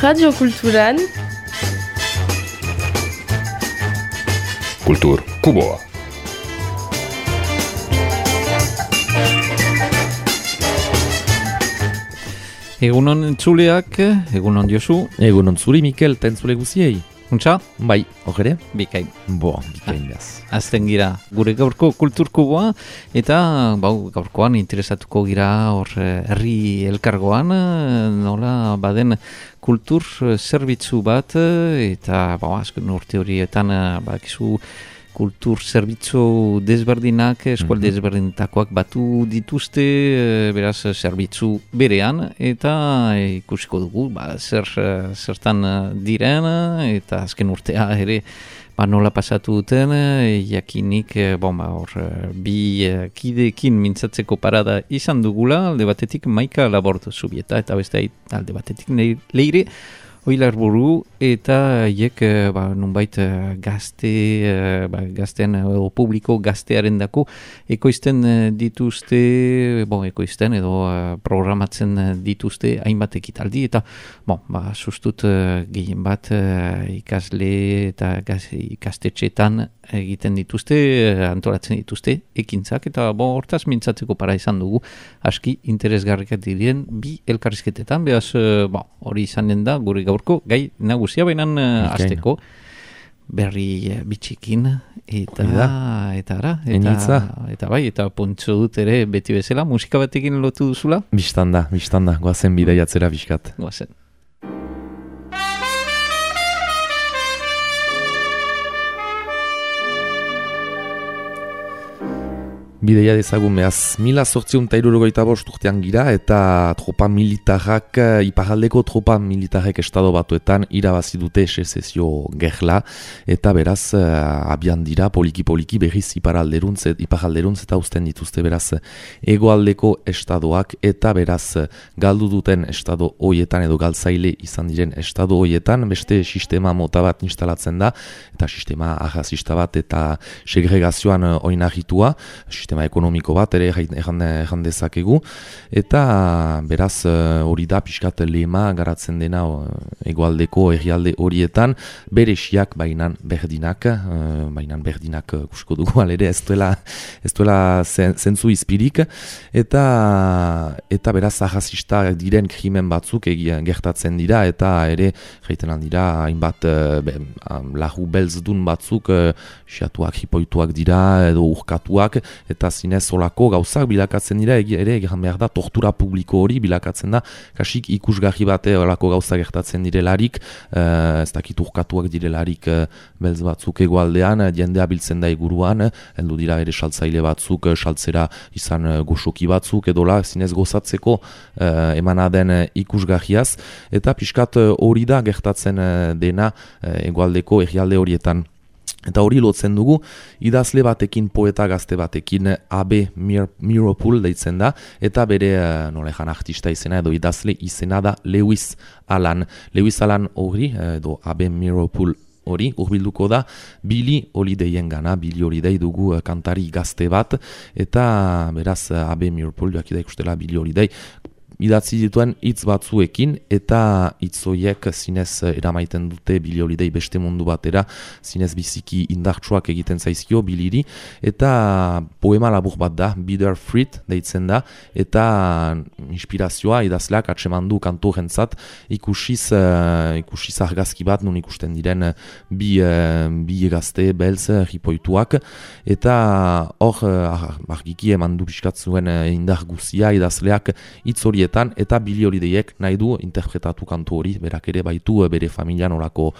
Radio Kulturan Kultur Kuboa. Egunon entzuleak, egunon Josu. Egunon zuri, Mikel, eta entzule guziei. Untxa? Bai, horre? Bikain. Bikain behaz. Azten gira gure gaurko kulturkuboa, eta gaurkoan interesatuko gira hor herri elkargoan, nola baden kultur zerbitzu bat, eta azken urte horietan bakizu kultur zerbitzu desberdinak, eskualde desberdinetakoak batu dituzte, beraz zerbitzu berean, eta ikusiko dugu, zertan diren, eta azken urtea ere nola pasatu duten, jakinik bi kideekin mintzatzeko parada izan dugula, alde batetik Maika Laborto Zubieta, eta beste alde batetik Leire Oilarburu, eta hiek nunbait gaztean publiko gaztearen dako ekoizten dituzte, ekoizten edo programatzen dituzte hainbat ekitaldi, eta sustut gehien bat ikasle eta ikastetxeetan egiten dituzte, antolatzen dituzte ekintzak, eta hortaz mintzatzeko para izan dugu aski interesgarriak diren bi elkarrizketetan, behaz hori izanen da gure gaurko gai nagusia bainan azteko berri bitxikin eta pontxo dut ere beti bezala musika batekin lotu duzula? Bistanda, goazen bidaiatzera biskat. Goazen. Bideia dezagun behaz, 1875 urtean gira eta tropa militarrak, iparraldeko tropa militarrek estado batuetan irabazi dute sezesio gerla, eta beraz abian dira poliki berriz iparralderuntz eta uzten dituzte beraz hegoaldeko estadoak, eta beraz galdu duten estado hoietan edo galtzaile izan diren estado hoietan beste sistema mota bat instalatzen da, eta sistema arrazista bat eta segregazioan oinarritua, sistema ekonomiko bat ere erran dezakegu, eta beraz hori da pixkat lema garatzen dena hegoaldeko herrialde horietan, beresiak bainan berdinak kusko dugu alere ez duela zentzu izpirik, eta beraz arrazista diren krimen batzuk gertatzen dira, eta ere jaiten aldira hainbat lahu belzdun batzuk xatuak, hipoituak dira edo urkatuak, eta zinez olako gauzak bilakatzen dira, ere egan behar da tortura publiko hori bilakatzen da, kasik ikusgarri bate olako gauzak gertatzen direlarik, ez dakit urkatuak direlarik belz batzuk egoaldean, jendea biltzen da eguruan, heldu dira ere saltzaile batzuk, saltzera izan goxoki batzuk, edola zinez gozatzeko emanaden ikusgarriaz, eta pixkat hori da gertatzen dena egoaldeko herrialde horietan. Eta hori lotzen dugu, idazle batekin, poeta gazte batekin, A.B. Meeropol deitzen da, eta bere artista izena edo idazle izena da Lewis Allan. Lewis Allan hori, edo A.B. Meeropol hori, urbilduko da Billie Holidayen gana, Billie Holiday dugu kantari gazte bat, eta beraz A.B. Meeropol joakida ikustela Billie Holiday, idatzi dituen hitz batzuekin, eta hitz horiek zinez eramaiten dute Billie Holiday beste mundu batera, zinez biziki indartsuak egiten zaizkio Billiri, eta poema labur bat da, Bitter Fruit deitzen da, eta inspirazioa idazleak atsemandu kantu jentzat, ikusiz argazki bat, nun ikusten diren bi gazte, belz, ripoituak, eta hor argiki emandu pixkat zuen indar guzia idazleak hitz horietan, eta Billie Holidayek nahi du interpretatu kantu hori, berak ere baitu bere familian olako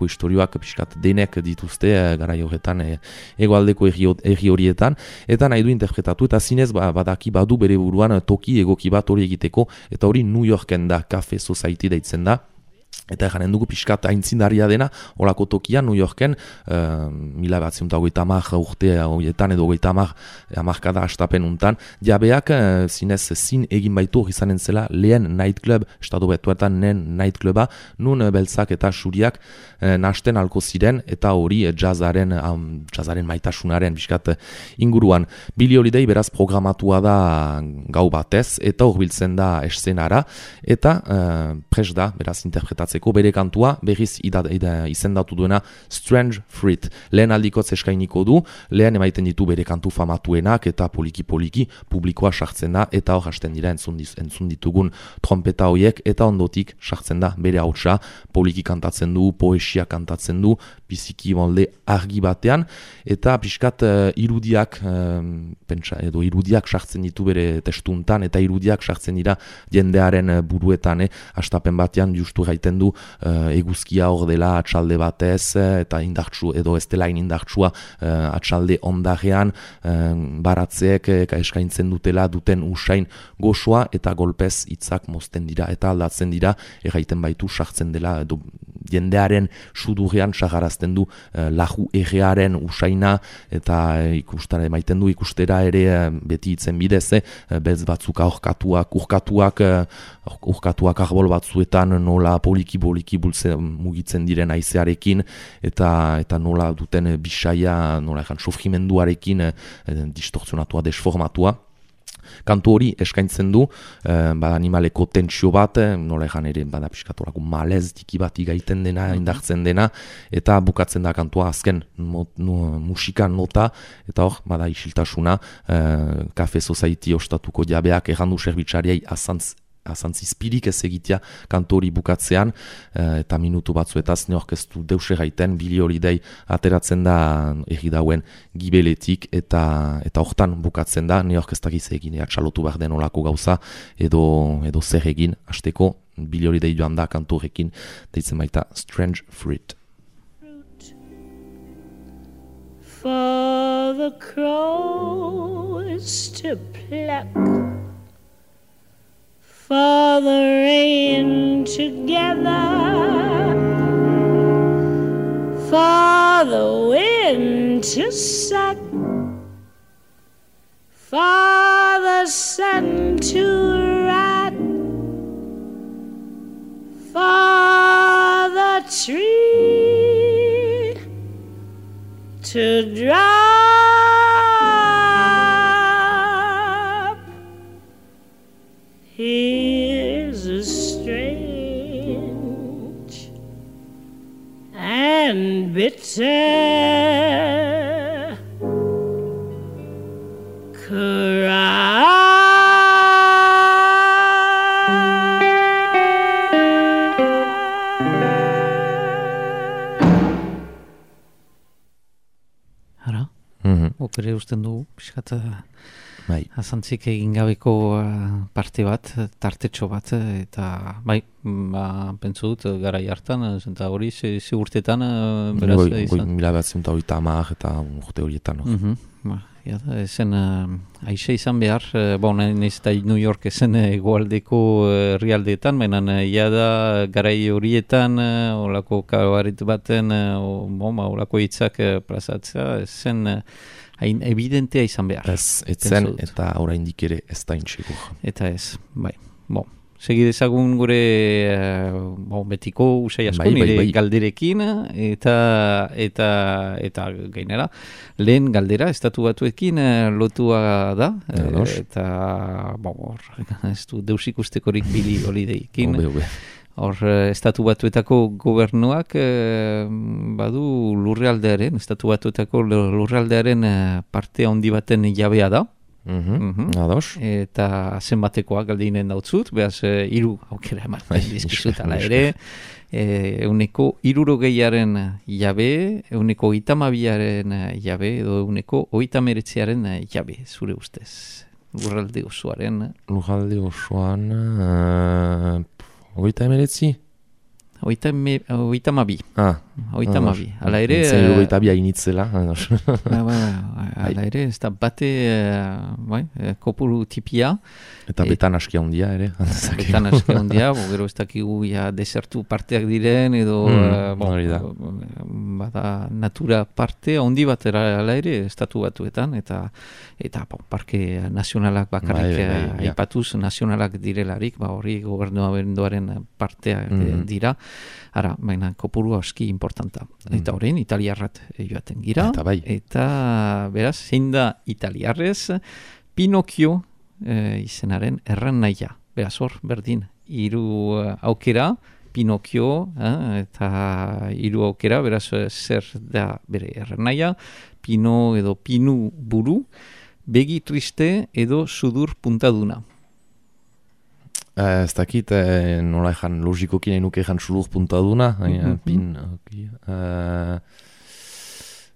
istorioak pixkat denek dituzte garai horretan hegoaldeko herri horietan, eta nahi du interpretatu, eta zinez badaki badu bere buruan toki egoki bat hori egiteko, eta hori New Yorken da, Cafe Society deitzen da, eta janen dugu pixkat aintzindaria dena, olako tokian New Yorken, 1980 urte horietan edo 80 hamarkada hastapen untan, jabeak zinez zin egin baitu izanen zela lehen nightclub, estado betuetan lehen nightcluba, nun beltzak eta suriak nasten alko ziren, eta hori jazzaren maitasunaren pixkat inguruan. Billie Holiday beraz programatua da gau batez, eta horbiltzen da eszenara, eta pres da, beraz interpretatua kantatzeko, bere kantua berriz izendatu duena Strange Fruit. Lehen aldikotz eskainiko du, lehen emaiten ditu bere kantu famatuenak eta poliki-poliki publikoa sartzen da eta hor hasten dira entzun ditugun trompeta hoiek eta ondotik sartzen da bere hautsa, poliki kantatzen du, poesia kantatzen du, biziki molde argi batean eta pixkat irudiak irudiak sartzen ditu bere testuntan eta irudiak sartzen dira jendearen buruetan, hastapen batean justu gaiten du eguzkia hor dela atxalde batez eta indartsu edo ez dela indartsua atxalde ondarean baratzeek eskaintzen duten usain gozoa eta golpez hitzak mozten dira eta aldatzen dira erraiten baitu sartzen dela edo jendearen sudurrean sagarazten du laju errearen usaina eta ikustara emaiten du ikustera ere beti hitzen bidez beltz batzuk urkatuak arbol batzuetan nola poliki-poliki mugitzen diren haizearekin eta nola duten bisaia nola sofrimenduarekin distortzionatua, desformatua. Kantu hori eskaintzen du animaleko tentsio bat, nola egan ere bada piskatolako malez tiki bat igaiten dena, indartzen dena, eta bukatzen da kantua azken musika nota, eta hor, bada isiltasuna, Cafe Society ostatuko jabeak errandu serbitzariei azantzizpirik ez egitea kantu hori bukatzean, eta minutu batzuetaz ne orkestu deus erraiten, Billy Holiday ateratzen da egidauen gibeletik, eta hortan bukatzen da, ne orkestak egin, txalotu behar den olako gauza, edo zer egin, hasteko Billy Holiday joan da kantu horrekin, deitzen baita Strange Fruit. For the crows to pluck, for the rain to gather, for the wind to suck, for the sun to rot, for the tree to drop. Here's a strange and bitter cry. Hara? Opere usten dugu, pixkat Bai. azantzik egin gabeko parte bat, tartetxo bat, eta bai, pentsu dut, garai hartan, eta hori, ze urtetan, beraz, izan? Mila bat ziunta amak eta urte horietan. Ezen, aixe izan behar, nahiz eta New York ezen egoaldeko herrialdeetan, baina jada garai horietan, olako kabaret baten, olako hitzak plazatzea, ezen hain evidentea izan behar. Ez zen, eta oraindik ere ez da intxegur. Eta ez, bai. Segidezagun gure betiko usai asko nire galderekin eta gainera lehen galdera estatu batuekin lotua da eta ez du deus ikustekorik Billy Holidaykin hor estatu batuetako gobernuak badu lurraldearen estatu batuetako lurraldearen parte handi baten jabea da. Ados. Eta zenbatekoa galdeinen dautzut, behaz 3 aukera ematen dizkizut ala ere, 60aren jabe, 32aren jabe, edo 39aren jabe, zure ustez. Lurralde osoaren. Lurralde osoan, 39? 32. Ala ere... Zer 32 hainitzela. Ala ere, ez da bate kopuru tipia. Eta betan askia hundia ere. Betan askia hundia, gero ez dakigu desertu parteak diren, edo bada natura parte handi bat ala ere, estatu batuetan, eta parke nazionalak bakarrik aipatuz, nazionalak direlarik, hori gobernuaren parteak dira. Ara, baina kopuru aski importanta. Eta horrein, italiarrat joaten gira. Eta beraz, zein da italiarrez, Pinokio izenaren erran nahia. Beraz hor, berdin, 3 aukera, Pinokio, eta hiru aukera, beraz zer da bere errenaia, Pino edo Pinu buru, begi triste edo sudur puntaduna. Ez dakit, nola ezan logikoki nahi nuke ezan sudur puntaduna, Pin...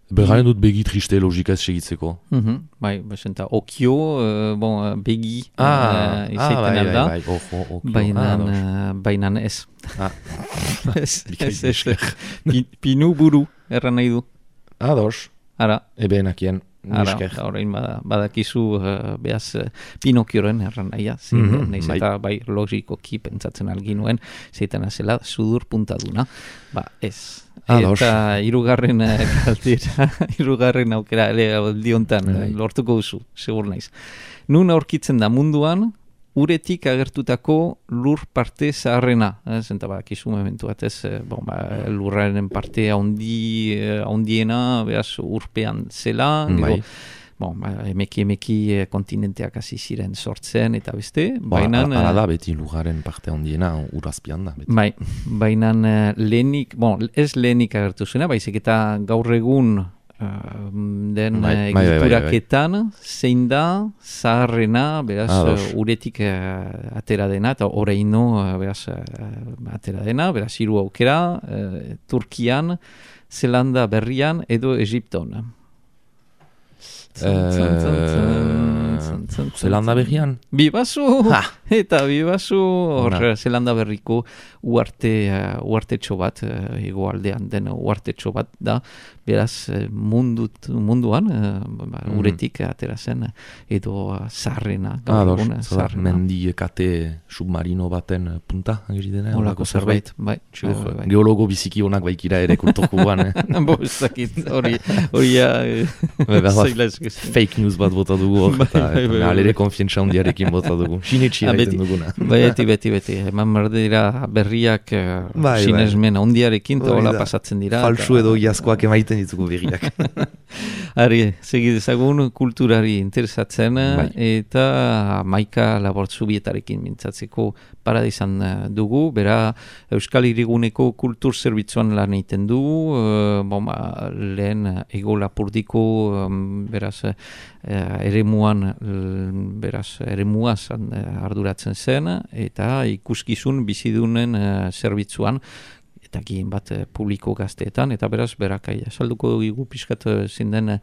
Bergaren dut begi triste logika ez segitzeko. Bai, besenta, okio, begi izaiten alda. Okio. Bainan ez. Ez. Pinu buru, erran nahi du. Ados. Ara. Ebe enakien. Horrein badakizu behaz Pinokioren erran nahia. Neiz eta bai logikoki pentsatzen alginuen, zeitan azela sudur puntaduna. Ez. Eta hirugarren kaltera, hirugarren aukera aldiontan lortuko duzu, segur naiz. Nun aurkitzen da munduan, uretik agertutako lur parte zaharrena. Zenta bakizu momentu bat ez, lurraren parte handiena, behaz urpean zela, emeki kontinenteak hasi ziren sortzen eta beste. Hala da beti lugaren parte handiena urazpian da. Bai, baina lehenik, ez lehenik agertu zuena, baizik eta gaur egun den egituraketan zein da zaharrena, beraz uretik atera dena, eta oraino beraz atera dena, beraz hiru aukera, Turkian, Zelanda Berrian edo Egipton. Zelanda Berrian? Bibazu! Eta bibazu, Zelanda Berriko uartetxo bat, egoaldean den uartetxo bat da, beraz munduan uretik atera zen edo zaharrena. Mendiekate submarino baten punta, agiri dena? Olako zerbait, bai. Geologo biziki honak baikira ere kulturkuan. Ez dakit, hori zaila ez. Fake news bat bota dugu hor, eta alere konfientza handiarekin bota dugu. Sinetxia egiten duguna. Beti. Eman berdira berriak sinesmen handiarekin, eta hola pasatzen dira. Falsu edo iazkoak emaiten ditugu berriak. Ari, segidezagun kulturari interesatzen, eta Maika Labortzubietarekin mintzatzeko paradizan dugu, bera Euskal Hiriguneko kultur zerbitzuan lan egiten du, lehen Ego Lapurdiko, beraz, eremuaz arduratzen zen, eta ikuskizun bizidunen zerbitzuan, eta gien bat publiko gazteetan, eta beraz, berakai salduko dugu pixkat zinden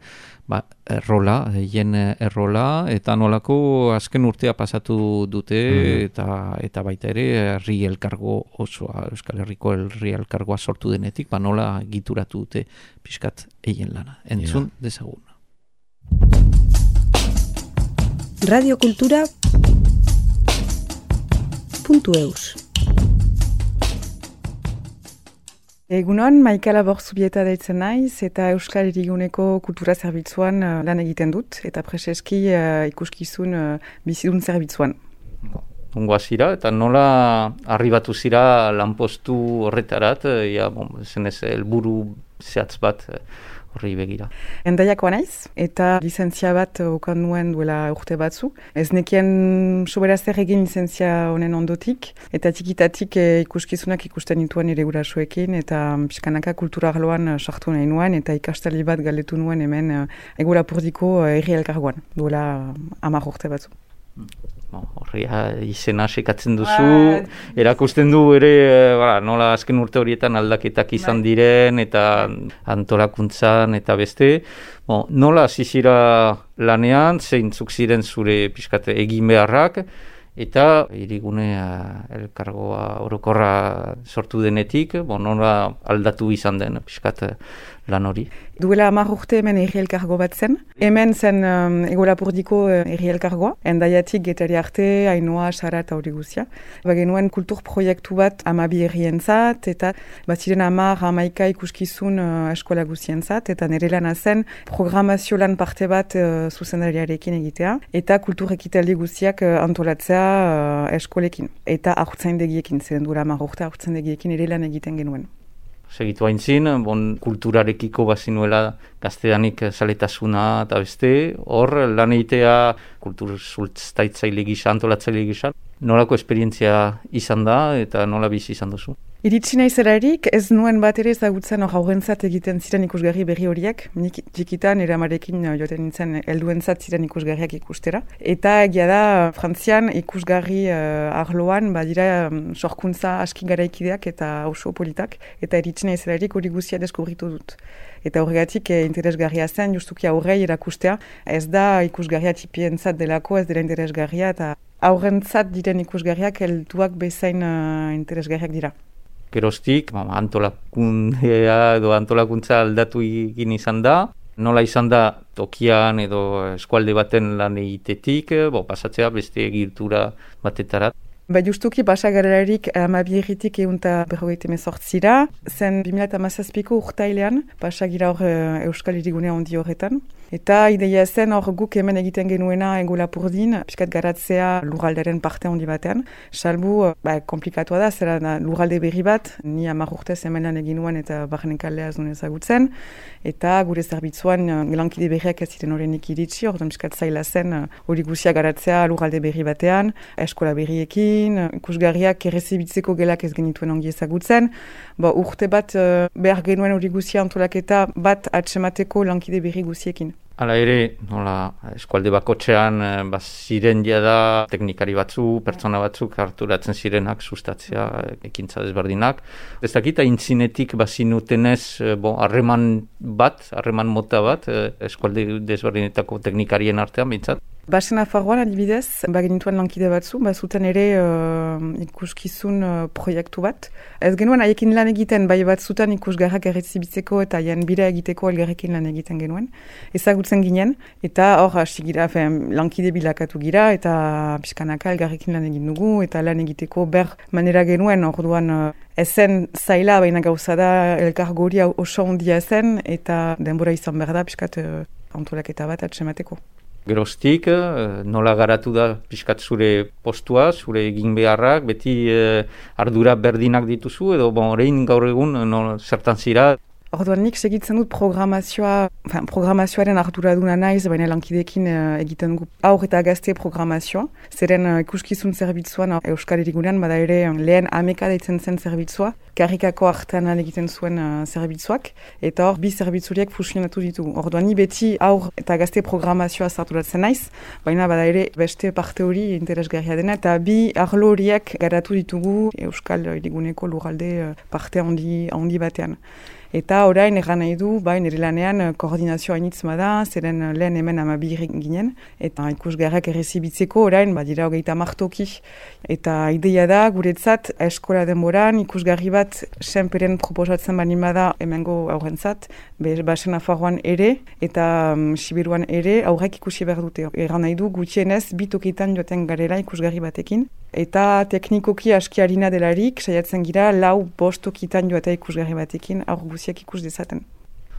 errola, eta nolako azken urtea pasatu dute, eta baita ere, herri elkargo osoa, Euskal Herriko herri elkargoa sortu denetik, nola gituratu dute pixkat eien lana. Entzun dezagun. Radiokultura.eus Egunon, Maika Labortzubieta deitzen naiz, eta Euskal Hiriguneko kultura zerbitzuan lan egiten dut, eta preseski ikuskizun bizidun zerbitzuan. Ongoa zira, eta nola arribatu zira lanpostu horretarat, zenez helburu zehatz bat horri begira. Endaiakoa naiz, eta lizentzia bat okan nuen duela urte batzu. Ez nekien sobera zer egin lizentzia honen ondotik, eta txikitatik ikuskizunak ikusten nituen ere gurasoekin, eta pixkanaka kultura arloan sartu nahi nuen, eta ikastali bat galdetu nuen hemen Ego Lapurdiko herri elkargoan, duela 10 urte batzu. Horria izena sekatzen duzu, erakusten du ere nola azken urte horietan aldaketak izan diren eta antolakuntzan eta beste. Nola zizira lanean, zeintzuk ziren zure pixkate egin beharrak, eta Hirigune elkargoa orokorra sortu denetik, nola aldatu izan den pixkat lan hori. Duela 10 urte hemen herri elkargo bat zen. Hemen zen Ego Lapurdiko herri elkargoa. Endaiatik Getari arte, Ainoa, Sara eta hori guzia. Genuen kultur proiektu bat 12 herrientzat, eta ziren 10-11 ikuskizun eskola guzientzat, eta nire lana zen programazio lan parte bat zuzendariarekin egitea, eta kultur ekitaldi guziak antolatzea eskolekin. Eta haurtzaindegiekin, ziren duela 10 urte haurtzaindegiekin ere lan egiten genuen. Segitu haintzin, kulturarekiko bazinuela gaztedanik zaletasuna eta beste, hor lan egitea kultur zultzaitzaile gisa, antolatzaile gisa, nolako esperientzia izan da eta nola bizi izan duzu? Iritsi naizelarik, ez nuen bat ere ezagutzen haurrentzat egiten ziren ikusgarri berri horiek. Nik txikitan eramarekin joaten nintzen helduentzat ziren ikusgarriak ikustera. Eta egia da, Frantzian ikusgarri arloan badira sorkuntza aski garaikideak eta oso politak. Eta iritsi naizelarik hori guztia deskubritu dut. Eta horregatik interesgarria zen, justuki aurrei erakustea. Ez da ikusgarria txipientzat delako, ez dela interesgarria, eta aurrentzat diren ikusgarriak helduak bezain interesgarriak dira. Geroztik, antolakundea edo antolakuntza aldatu egin izan da. Nola izan da tokian edo eskualde baten lan egitetik, pasatzea beste egitura batetara. Justuki pasagarelarik 12 eta 158 zen 2017ko urtailean, pasagira hor Euskal Hirigunea handi horretan. Eta ideia zen hor guk hemen egiten genuena Ego Lapurdin, pixkat garatzea lurralderen parte handi batean. Salbu, komplikatua da, zera lurralde berri bat, ni 10 urtez hemen lan egin nuen eta barren kalea ez duen ezagutzen. Eta gure zerbitzuan lankide berriak ez ziren horrenik iritsi, orduan pixkat zaila zen hori guzia garatzea lurralde berri batean, eskola berriekin, ikusgarriak errezibitzeko gelak ez genituen ongi ezagutzen. Urte bat behar genuen hori guzia antolaketa bat atsemateko lankide berri guziekin. Hala ere, nola eskualde bakotxean ziren jada teknikari batzu, pertsona batzuk harturatzen zirenak sustatzea ekintza desberdinak. Ez dakita intzinetik bazinutenez harreman mota bat eskualde desberdinetako teknikarien artean bintzat. Basen Nafarroan adibidez, bagenituen lankide batzu, bazuten ere ikuskizun proiektu bat. Ez genuen haiekin lan egiten, bai batzutan ikusgarrak errezibitzeko eta haien bira egiteko elgarrekin lan egiten genuen. Ezagutzen ginen, eta hor hasi gira, lankide bilakatu gira, eta pixkanaka elgarrekin lan egin dugu, eta lan egiteko ber manera genuen, orduan ezen zaila, baina gauza da elkargori oso ondia zen, eta denbora izan behar da pixkat antolaketa bat atsemateko. Geroztik, nola garatu da pixkat zure postua, zure egin beharrak, beti ardura berdinak dituzu, edo orain gaur egun zertan zira? Orduan nik segitzen dut programazioaren arduraduna naiz, baina lankideekin egiten dugu aur eta gazte programazioa. Zeren ikuskizun zerbitzuan Euskal Herigunean, bada ere lehen ameka deitzen zen zerbitzua, karrikako artean egiten zuen zerbitzuak, eta hor bi zerbitzuriek fusionatu ditugu. Orduan ni beti aur eta gazte programazioa zarturatzen naiz, baina bada ere beste parte hori interesgarria dena, eta bi arlo horiek garatu ditugu Euskal Heriguneko lurralde parte handi batean. Eta orain erran nahi du, nire lanean koordinazioa hainitz bada, zeren lehen hemen 12 ginen, eta ikusgarrak errezibitzeko orain, dira 30 toki. Eta ideia da, guretzat, eskola denboran, ikusgarri bat senperen proposatzen bani bada hemengo aurrentzat, Basen Nafarroan ere, eta Siberuan ere, aurrek ikusi behar dute. Erran nahi du, gutxienez, 2 tokitan joaten garela ikusgarri batekin. Eta teknikoki aski harina delarik, saiatzen gira, 4-5 tokitan joatea ikusgarri batekin, aur guziak ikus dezaten.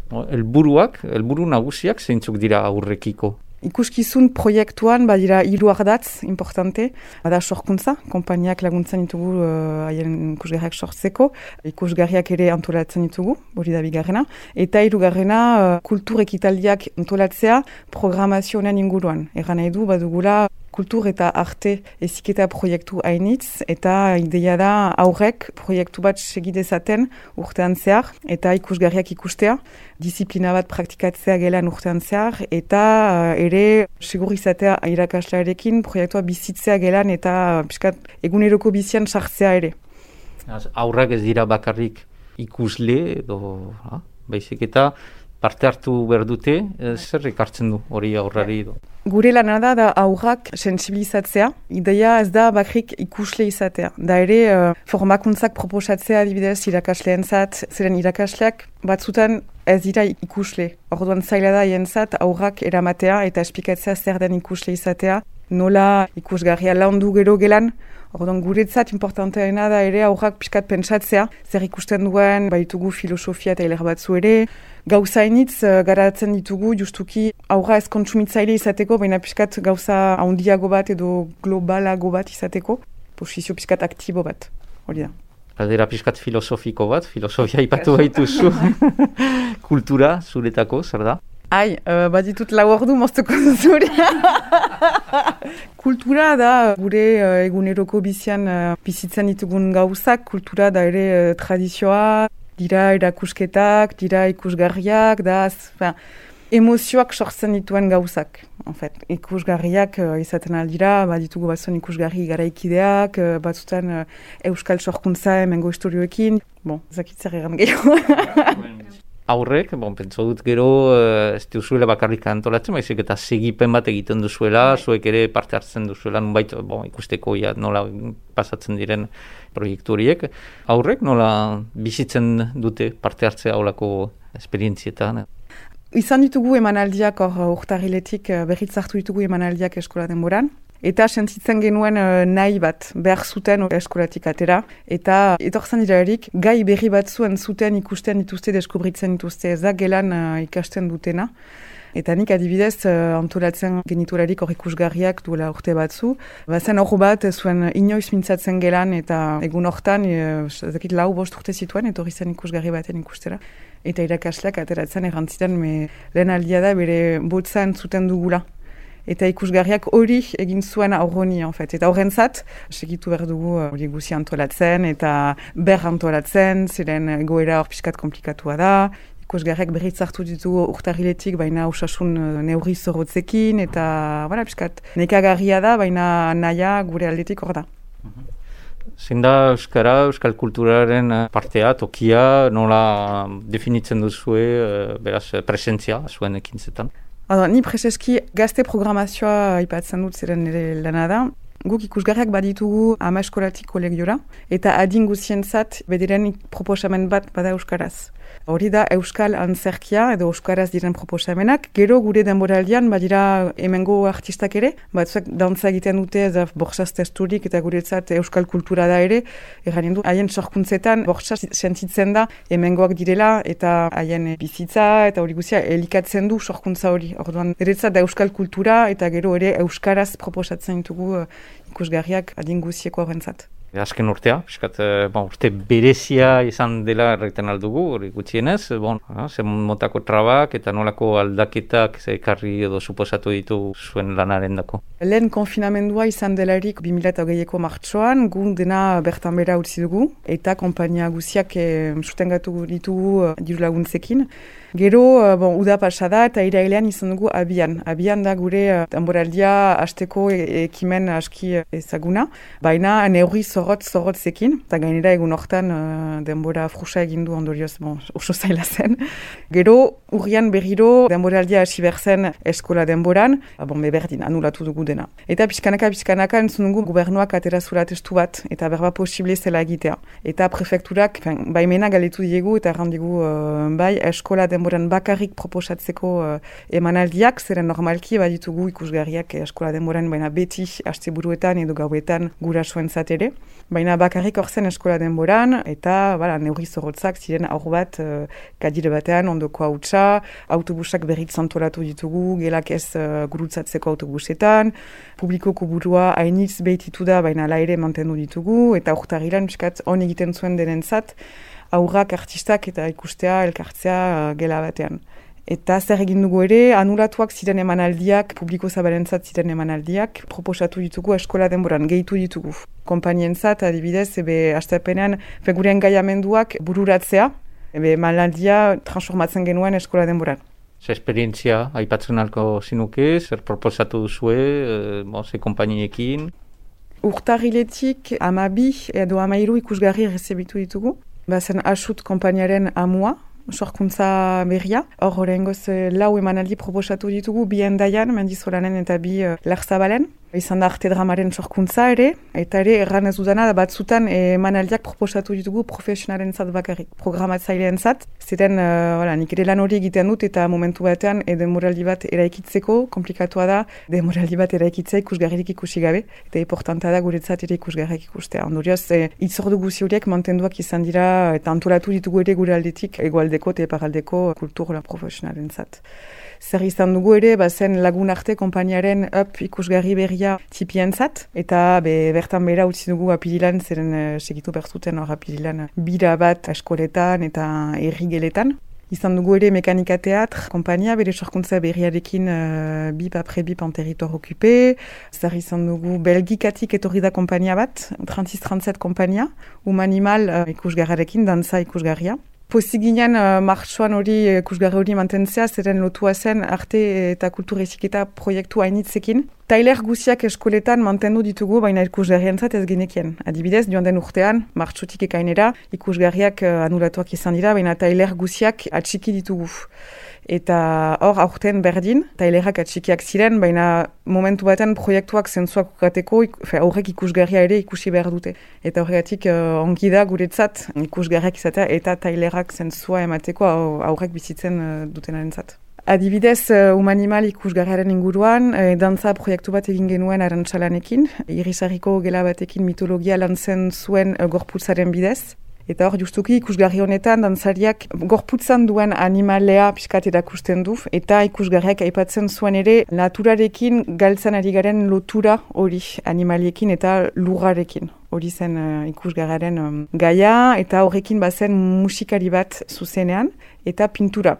Helburu nagusiak zeintzuk dira aurrekiko? Ikuskizun proiektuan badira 3 ardatz importante, bada sorkuntza, konpainiak laguntzen ditugu haien ikusgarriak sortzeko, ikusgarriak ere antolatzen ditugu, hori da bigarrena, eta 3. Kultur ekitaldiak antolatzea programazioen inguruan. Erran nahi du, badugula kultur eta arte eziketa proiektu hainitz, eta ideia da aurrek proiektu bat segidezaten urtean zehar, eta ikusgarriak ikustea, disiplina bat praktikatzea gelan urtean zehar, eta ere segur izatea irakaslearekin proiektua bizitzea gelan, eta piskat eguneroko bizian sartzea ere. Aurrak ez dira bakarrik ikusle, edo baizik eta parte hartu behar dute, zer ekartzen du hori aurrari edo? Gure lana da aurrak sensibilizatzea, ideia ez da bakrik ikusle izatea. Da ere formakuntzak proposatzea adibidez irakasleentzat, zeren irakasleak batzutan ez dira ikusle. Orduan zaila da jentzat aurrak eramatea eta esplikatzea zer den ikusle izatea, nola ikusgarria laundu gero gelan. Orduan guretzat importanteena da ere aurrak pixkat pentsatzea, zer ikusten duen, baitugu filosofia eta hiler batzu ere, gauzainitz garatzen ditugu justuki aurra ez kontsumitzaile izateko, baina pixkat gauza handiago bat edo globalago bat izateko, posizio pixkat aktibo bat, hori da. Galdera pixkat filosofiko bat, filosofia ipatu baituzu, kultura zuretako, zer da? Baditut 4 ordu moztuko zuri. Kultura da gure eguneroko bizian bizitzen ditugun gauzak, kultura da ere tradizioa, dira erakusketak, dira ikusgarriak, emozioak sortzen dituen gauzak. Ikusgarriak izaten aldira, ditugu batzuen ikusgarri garaikideak, batzutan euskal sorkuntza hemengo historioekin. Zakitzer egan gehiago. Aurrek, pentsa dut gero, ez duzuela bakarrik antolatzen, baizik eta segipen bat egiten duzuela, zuek ere parte hartzen duzuela, nunbait, ikusteko nola pasatzen diren proiektu horiek. Aurrek nola bizitzen dute parte hartzea aulako esperientzietan? Izan ditugu emanaldiak urtarriletik berriz hartu ditugu emanaldiak eskola denboran. Eta sentitzen genuen nahi bat behar zuten eskolatik atera. Eta etortzen dira erik, gai berri batzuen zuten ikusten dituzte, deskubritzen dituzte, ez da gelan ikasten dutena. Eta nik adibidez antolatzen geniturarik hor ikusgarriak duela urte batzu. Zen hor bat zuen inoiz mintzatzen gelan eta egun hortan, ezakit 4-5 urte zituen, etorri zen ikusgarri baten ikustera. Eta irakasleak ateratzen errantzitan lehen aldia da bere botzan zuten dugula. Eta ikusgarriak hori egin zuen aurroni, Eta horrentzat, segitu behar dugu hori guzi antolatzen eta antolatzen, ziren egoera hor pixkat komplikatua da. Ikusgarriak berriz hartu ditugu urtarriletik, baina osasun neurri zorrotzekin, eta pixkat nekagarria da, baina nahia gure aldetik hor da. Zein da euskara, euskal kulturaren partea, tokia, nola definitzen duzue, beraz, presentzia zuen ekintzetan? Ni preseski gazte programazioa aipatzen dut ziren nire lana da. Guk ikusgarriak baditugu 10 eskolatik kolegiora, eta adin guzientzat bederen proposamen bat bada euskaraz. Hori da euskal antzerkia edo euskaraz diren proposamenak. Gero gure denboraldian badira hemengo artistak ere, batzuek dantza egiten dute bortxaz testurik eta guretzat euskal kultura da ere. Erranen du, haien sorkuntzetan bortxaz sentitzen da hemengoak direla eta haien bizitza eta hori guzia elikatzen du sorkuntza hori. Orduan, eretzat da euskal kultura eta gero ere euskaraz proposatzen ditugu ikusgarriak adin guzieko horrentzat. Azken urtea, urte berezia izan dela erraiten aldugu, hori gutxienez, zen motako trabak eta nolako aldaketak ekarri edo suposatu ditu zuen lanaren dako. Lehen konfinamendua izan delarik 2008ko martxoan, gun dena bertan bera utzi dugu, eta konpainia guziak sustengatu ditugu diru laguntzekin. Gero, uda pasada eta irailean izan dugu abian. Abian da gure denboraldia hasteko ekimen aski ezaguna, baina neurri zorrotzekin, eta gainera egun hortan denbora frusa egin du ondorioz, oso zaila zen. Gero, urrian berriro denboraldia hasi berzen eskola denboran, berdin, anulatu dugu dena. Eta pixkanaka entzun dugu gobernuak atera zula testu bat, eta berba posible zela egitea. Eta prefekturak, baimena galetu diegu eta errandigu eskola denboran bakarrik proposatzeko emanaldiak, zeren normalki baditugu ikusgarriak eskola denboran, baina beti asteburuetan edo gauetan gurasoentzat ere. Baina bakarrik hor zen eskola denboran, eta neurri zorrotzak ziren aur bat kadire batean ondoko hautsa, autobusak berriz antolatu ditugu, gelak ez gurutzatzeko autobusetan, publikoko burua hainitz behititu da, baina ala ere mantendu ditugu, eta urtarrilan piskat on egiten zuen denentzat, aurrak, artistak eta ikustea, elkartzea gela batean. Eta zer egin dugu ere, anulatuak ziren emanaldiak, publiko zabalentzat ziren emanaldiak, proposatu ditugu eskola denboran, gehitu ditugu. Konpainientzat, adibidez, hastapenean, gure engaiamenduak bururatzea, emanaldia transformatzen genuen eskola denboran. Zer esperientzia aipatzen alko zinuke, zer proposatu duzue, ze konpainiekin? Urtarriletik 12 edo 13 ikusgarri rezebitu ditugu. Bazen asut konpainiaren amua, sorkuntza berria. Hor horrengoz 4 emanaldi proposatu ditugu, 2 Hendaian, Mendizolanen eta 2 Larzabalen. Izan da arte dramaren sorkuntza ere, eta ere erran ez dudana batzutan emanaldiak proposatu ditugu profesionalen zat bakarrik, programatzaileen zat. Ziren, nik ere lan hori egiten dut eta momentu batean demoraldi bat eraikitzeko, komplikatua da, demoraldi bat eraikitzea ikusgarririk ikusi gabe, eta importanta da guretzat ere ikusgarrik ikustea. Ondorioz, itzordu guzi horiek mantenduak izan dira, eta antolatu ditugu ere gure aldetik, egoaldeko eta eparaldeko kultur profesionalen zat. Zer izan dugu ere, zen lagun arte konpainiaren ikusgarri berria tipientzat, eta bertan bera utzi dugu apirilan, zeren segitu berzuten hor apirilan bira bat eskoletan eta errigeletan. Izan dugu ere Mekanika Teatr, kompania, bere sorkuntza berriarekin bip apre bip en territoire occupé. Zer izan dugu Belgikatik etorri da kompania bat, 36-37 kompania, Humanimal ikusgarrarekin, dantza ikusgarria. Pozik ginen martxoan hori ikusgarri hori mantentzea, zeren lotua zen arte eta kultur eziketa proiektu hainitzekin. Tailer guziak eskoletan mantendu ditugu, baina ikusgarrientzat ez genekien. Adibidez, joan den urtean, martxotik ekainera, ikusgarriak anulatuak izan dira, baina tailer guziak atxiki ditugu. Eta hor, aurten berdin, tailerak atxikiak ziren, baina momentu baten proiektuak zentzuak ukateko, aurrek ikusgarria ere ikusi behar dute. Eta horregatik ongi da guretzat ikusgarriak izatea eta tailerak zentzua emateko aurrek bizitzen dutenarentzat. Adibidez, Humanimal ikusgarriaren inguruan, dantza proiektu bat egin genuen Arantxalanekin, Irisarriko gela batekin mitologia lantzen zuen gorputzaren bidez. Eta hor, justuki ikusgarri honetan, dantzariak gorputzan duen animalea pixkat erakusten du, eta ikusgarriak aipatzen zuen ere naturarekin galtzen ari garen lotura hori animaliekin eta lurrarekin. Hori zen ikusgarriaren gaia, eta horrekin bazen musikari bat zuzenean, eta pintura.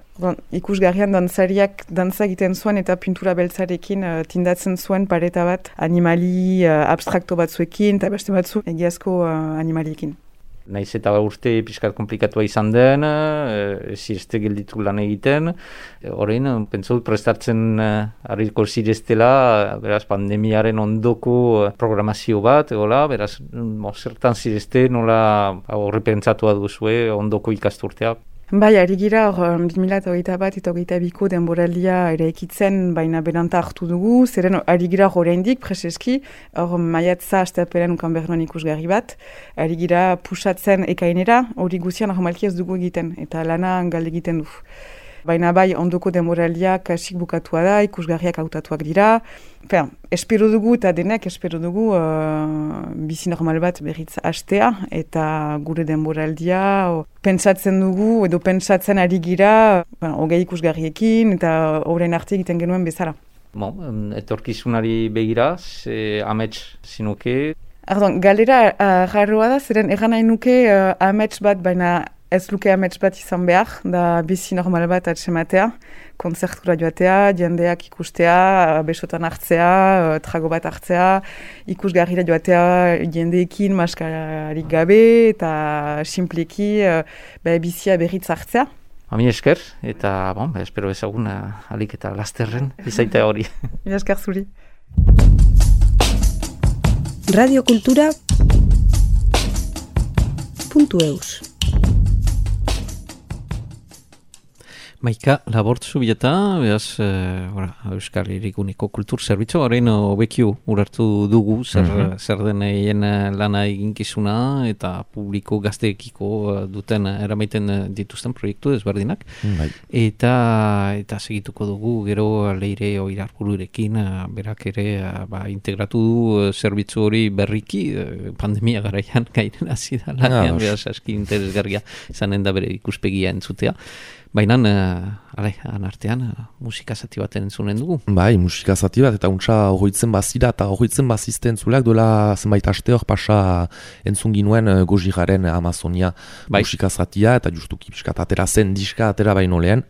Ikusgarrian dantzariak dantza egiten zuen eta pintura beltzarekin tindatzen zuen pareta bat animali abstrakto batzuekin, eta beste batzu egiazko animaliekin. Naiz eta urte pixkat komplikatua izan den, zirezte gelditu lan egiten. Horrein, pentsaut prestartzen harriko zireztela, beraz, pandemiaren ondoko programazio bat, beraz, zertan zirezte nola horre pentsatua duzue ondoko ikasturtea. Bai, ari gira, 2021 eta 2022 denboraldia eraikitzen, baina beranta hartu dugu, zeren ari gira oraindik preseski, hor maiatza astapelen ukan behar nuen ikusgarri bat, ari gira pusatzen ekainera, hori guzia normalki ez dugu egiten, eta lana galde egiten du. Baina bai, ondoko denboraldia kasik bukatua da, ikusgarriak hautatuak dira. Espero dugu eta denek espero dugu bizi normal bat berriz hastea eta gure denboraldia pentsatzen dugu edo pentsatzen ari gira hogei ikusgarriekin eta horren arte egiten genuen bezala. Etorkizunari begira, amets zinuke? Galera jarroa da, zeren egan nahi nuke amets bat, baina ez luke amets bat izan behar, da bizi normal bat atsematea, konzertura joatea, jendeak ikustea, besotan hartzea, trago bat hartzea, ikusgarrira joatea jendeekin maskararik gabe eta simpleki bizia berriz hartzea. Ami esker, eta espero ezagun alik eta lasterren izaita hori. Mi esker zuri. Radiokultura.eus Maika labortzu bileta, behaz, Euskal Herriguneko kultur zerbitzu, horrein obekiu urartu dugu, zer den egin lana eginkizuna eta publiko gazteekiko duten eramaiten dituzten proiektu ezberdinak. Eta segituko dugu, gero Leire Oirarbururekin, berak ere integratu du zerbitzu hori berriki, pandemia garaian gairen hasi da lanean, behaz, aski interesgarria izanen da bere ikuspegia entzutea. Baina, anartean, musika zati bat entzunen dugu. Bai, musika zati bat, eta untsa horretzen bazira, eta horretzen bazizte entzulak, dola zenbait aste hor pasa entzun ginuen Gojiraren Amazonia musika zatia, eta justuki piskat atera zen diska atera baino lehen.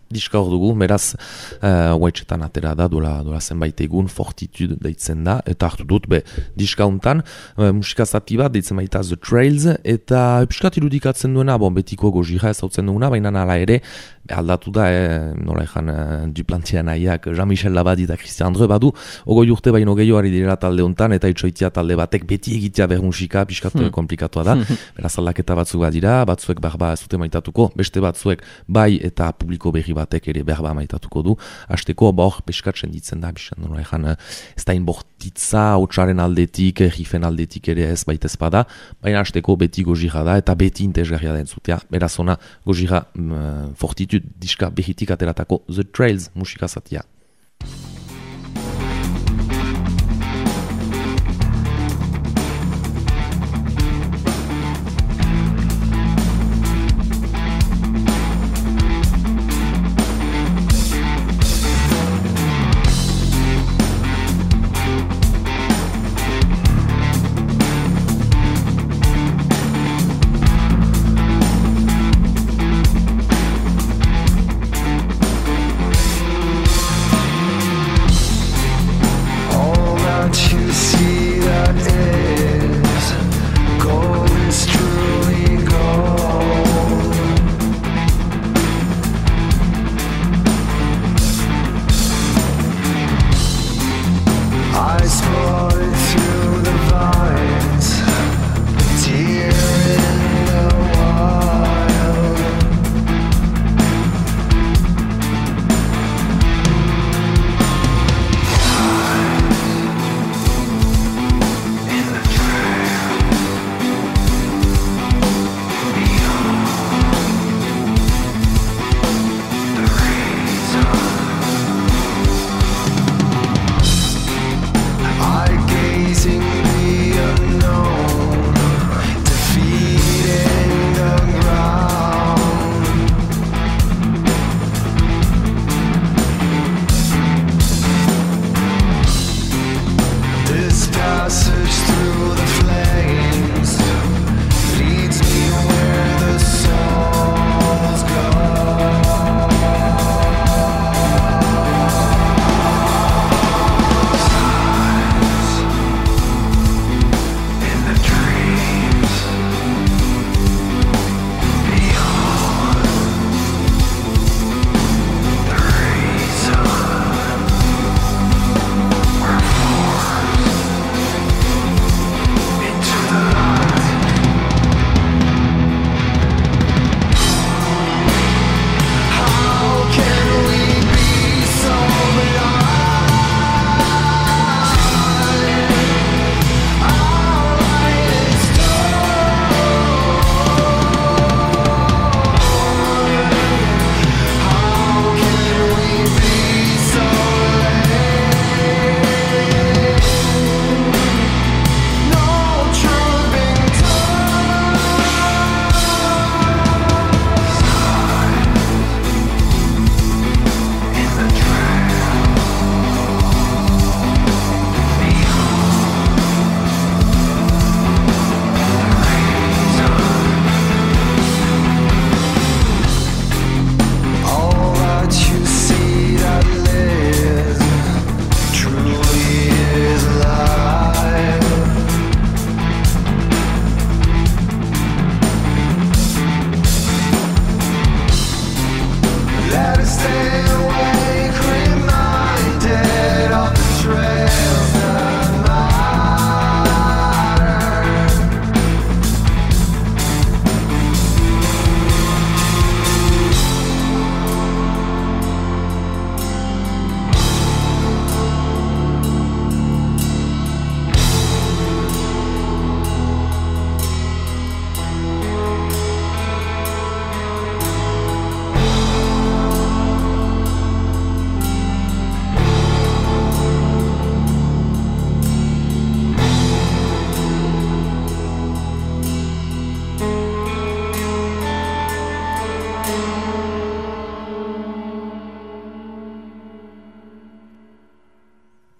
Diska hor dugu, beraz, huaitxetan atera da, dola zenbait egun, Fortitude deitzen da, eta hartu dut, diska hontan, musika zati bat deitzen baita The Trails, eta piskat irudikatzen duena, betiko Gojira ez hautzen duguna, baina nala ere, aldatu da, nola ezan Duplantia nahiak, Jean-Michel Labadi eta Christian Andre badu, ogoi urte baino gehiago ari direla talde hontan, eta itxoitia talde batek beti egitea behar musika, piskat komplikatua da, beraz aldaketa batzuk badira, batzuek barba ez dute maitatuko, beste batzuek bai eta publiko berri batek ere berba maitatuko du. Hasteko, hor peskatzen ditzen da, bizan nola ezan, ez da inbortitza, hotxaren aldetik, rifen aldetik ere ez baita ezpada, baina hasteko beti Gojira da, eta beti intezgarria da entzutea. Beraz ona, Gojira Fortitude diska behitik ateratako The Trails musika zatia.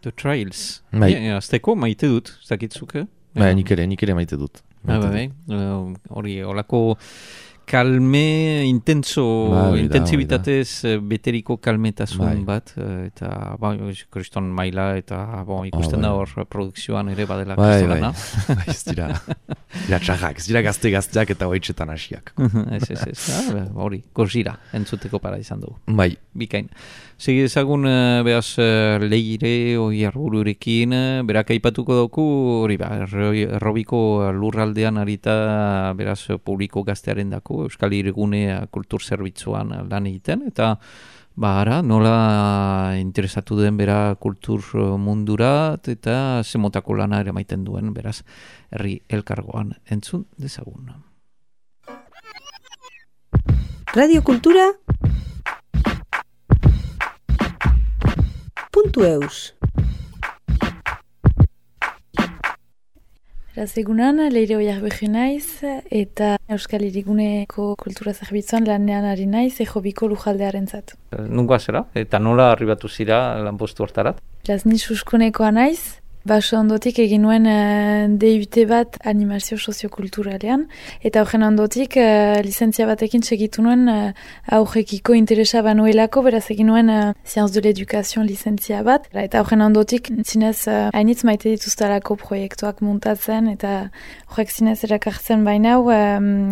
The Trails. Bai. Azteko maite dut, ez dakitzuk, Nik ere maite dut. Hori, olako kalme, intentsibitatez beteriko kalmetasun bat, eta kriston maila, eta ikusten da hor produkzioan ere badela kristorana. Ez dira txarrak, ez dira gazteak eta hoitzetan hasiak. Hori, Gojira, entzuteko para izan dugu. Bai. Bikain. Segi ezagun, beraz, Leire, Oiarbururekin, berak aipatuko dauku, hori errobiko lurraldean arita, beraz, publiko gaztearen dako, Euskal Hirigune kultur zerbitzuan lan egiten, eta ara, nola interesatu den bera kultur mundurat, eta zemotako lana ere maiten duen, beraz, herri elkargoan entzun dezagun. Radio Kultura .eus Egunan, Leire Oiarbururik naiz, eta Euskal Hiriguneko kultura zerbitzuan lanean ari naiz, Ejobiko lujaldearentzat. Nungoa zera, eta nola arribatu zira lanpostu hortarat? Ni Suskunekoa naiz, baso ondotik egin nuen DUT bat animazio soziokulturalean, eta horren ondotik lizentzia batekin segitu nuen aurrekiko interesa banuelako, beraz egin nuen Sciences de l'Education lizentzia bat, eta horren ondotik zinez hainitz maite dituztalako proiektuak muntatzen, eta horrek zinez erakartzen bainau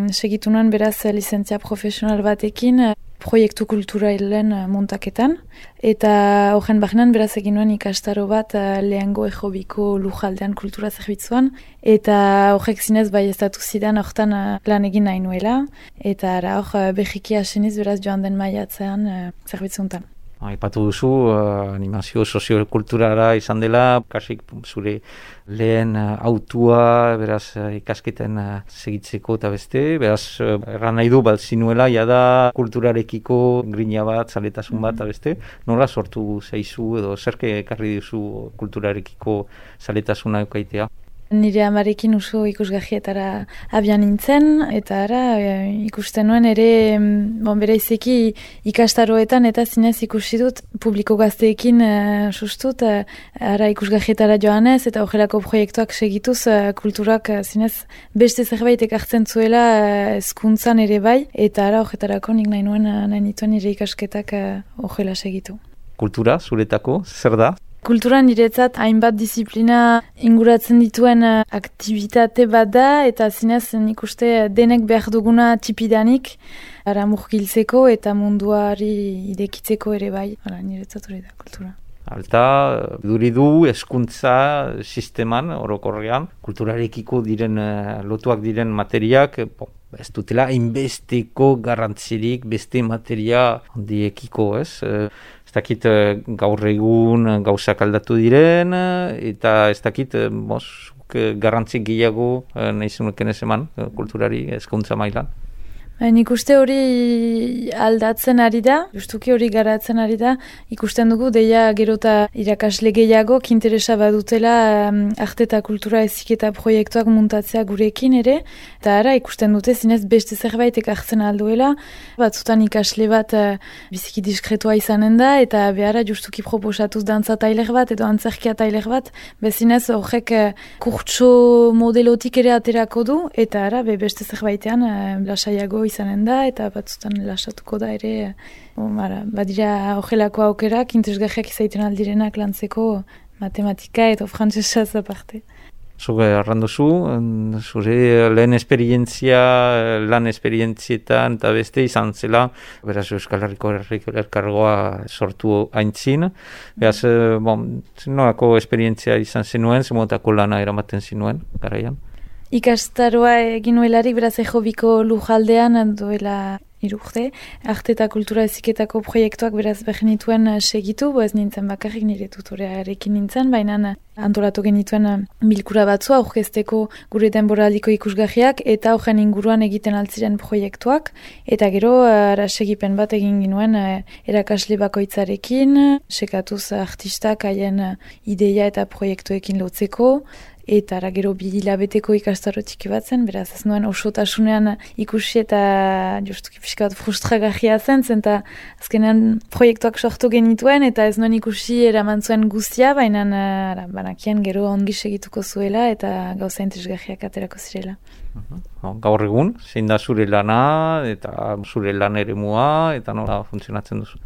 segitu nuen beraz lizentzia profesional batekin, proiektu kulturalen montaketan, eta horren barnean beraz egin nuen ikastaro bat lehengo Ejobiko lujaldean kultura zerbitzuan, eta horrek zinez bai estatu zidan hortan lan egin nahi nuela, eta hor behiki aseniz beraz joan den maiatzean zerbitzuntan. Aipatu duzu, animazio soziokulturara izan dela, kasik zure lehen autua, beraz ikasketen segitzeko eta beste, beraz erran nahi du zinuela, jada kulturarekiko grina bat, zaletasun bat eta beste, nola sortu zaizu edo zerke ekarri duzu kulturarekiko zaletasuna eukaitea? Nire amarekin oso ikusgahietara abian nintzen, eta ikusten nuen ere, bereizeki ikastaroetan eta zinez ikusi dut publiko gazteekin sustut, ikusgahietara joanez eta horrelako proiektuak segituz kulturak zinez beste zerbait ekartzen zuela hezkuntzan ere bai, eta horretarako nik nahi nituen nire ikasketak horrela segitu. Kultura, zuretako, zer da? Kultura niretzat hainbat disiplina inguratzen dituen aktivitate bat da, eta zinez nik uste denek behar duguna tipidanik murgiltzeko eta munduari idekitzeko ere bai. Niretzat hori da kultura. Alta, duridu hezkuntza sisteman, orokorrean, kulturarekiko diren, lotuak diren materiak, ez dutela hainbesteko garrantzirik beste materia handiekiko, ez? Ez dakit gaur egun gauzak aldatu diren, eta ez dakit garrantzik gehiago nahi zenuken ez eman kulturari hezkuntza mailan. Nik uste hori aldatzen ari da, justuki hori garatzen ari da, ikusten dugu deia gerota irakasle gehiago interesa badutela arte eta kultura heziketa proiektuak muntatzea gurekin ere, eta ikusten dute zinez beste zerbait ekartzen alduela, batzutan ikasle bat biziki diskretua izanen da, eta behara justuki proposatuz dantza tailer bat edo antzerkia tailer bat, bezinez horrek kurtso modelotik ere aterako du, eta beste zerbaitean lasaiago izanen da, eta batzutan lasatuko da ere, badira horrelako aukerak, interesgarriak izaiten aldirenak lantzeko matematika eta frantsesaz aparte. Zure arranduzu, zure lehen lan esperientzietan eta beste izan zela, beraz Euskal Herriko elkargoa sortu aintzin, beraz, nolako esperientzia izan zenuen, zemotako lana eramaten zinuen, garaian? Ikastaroa egin nuelarik, beraz Ejobiko lujaldean duela 3 urte. Arte eta kultura heziketako proiektuak beraz genituen segitu, ez nintzen bakarrik nire tutorearekin nintzen, baina antolatu genituen bilkura batzua aurkezteko gure denboraldiko ikusgarriak eta horren inguruan egiten altziren proiektuak, eta gero segipen bat egin ginuen erakasle bakoitzarekin, sekatuz artistak haien ideia eta proiektuekin lotzeko, eta gero 2 hilabeteko ikastaro txiki bat zen, beraz ez nuen osotasunean ikusi eta justuki pixka bat frustragarria zen, eta azkenean proiektuak sortu genituen, eta ez nuen ikusi eraman zuen guztia, baina banakien gero ongi segituko zuela, eta gauza interesgarriak aterako zirela. Gaur egun, zein da zure lana, eta zure lan eremua, eta nola funtzionatzen duzu?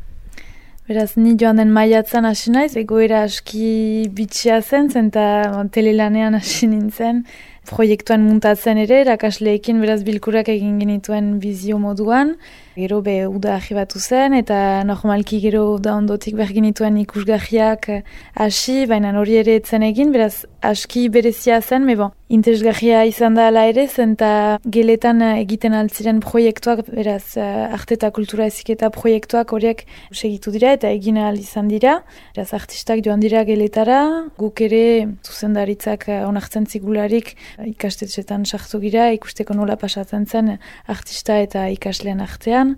Beraz, ni joan den maiatzan hasi naiz, egoera aski bitxia zen, eta telelanean hasi nintzen, proiektuan muntatzen ere, erakasleekin beraz bilkurak egin genituen bizio moduan, gero uda arribatu zen, eta normalki gero uda ondotik behar genituen ikusgarriak hasi, baina hori ere etzen egin, beraz aski berezia zen, interesgarria izan da ala ere, eta geletan egiten altziren proiektuak, beraz arte eta kultura eziketa proiektuak horiek segitu dira, eta egin ahal izan dira, beraz artistak joan dira geletara, guk ere zuzendaritzak onartzen zigularik ikastetxetan sartu gira, ikusteko nola pasatzen zen artista eta ikaslean artean,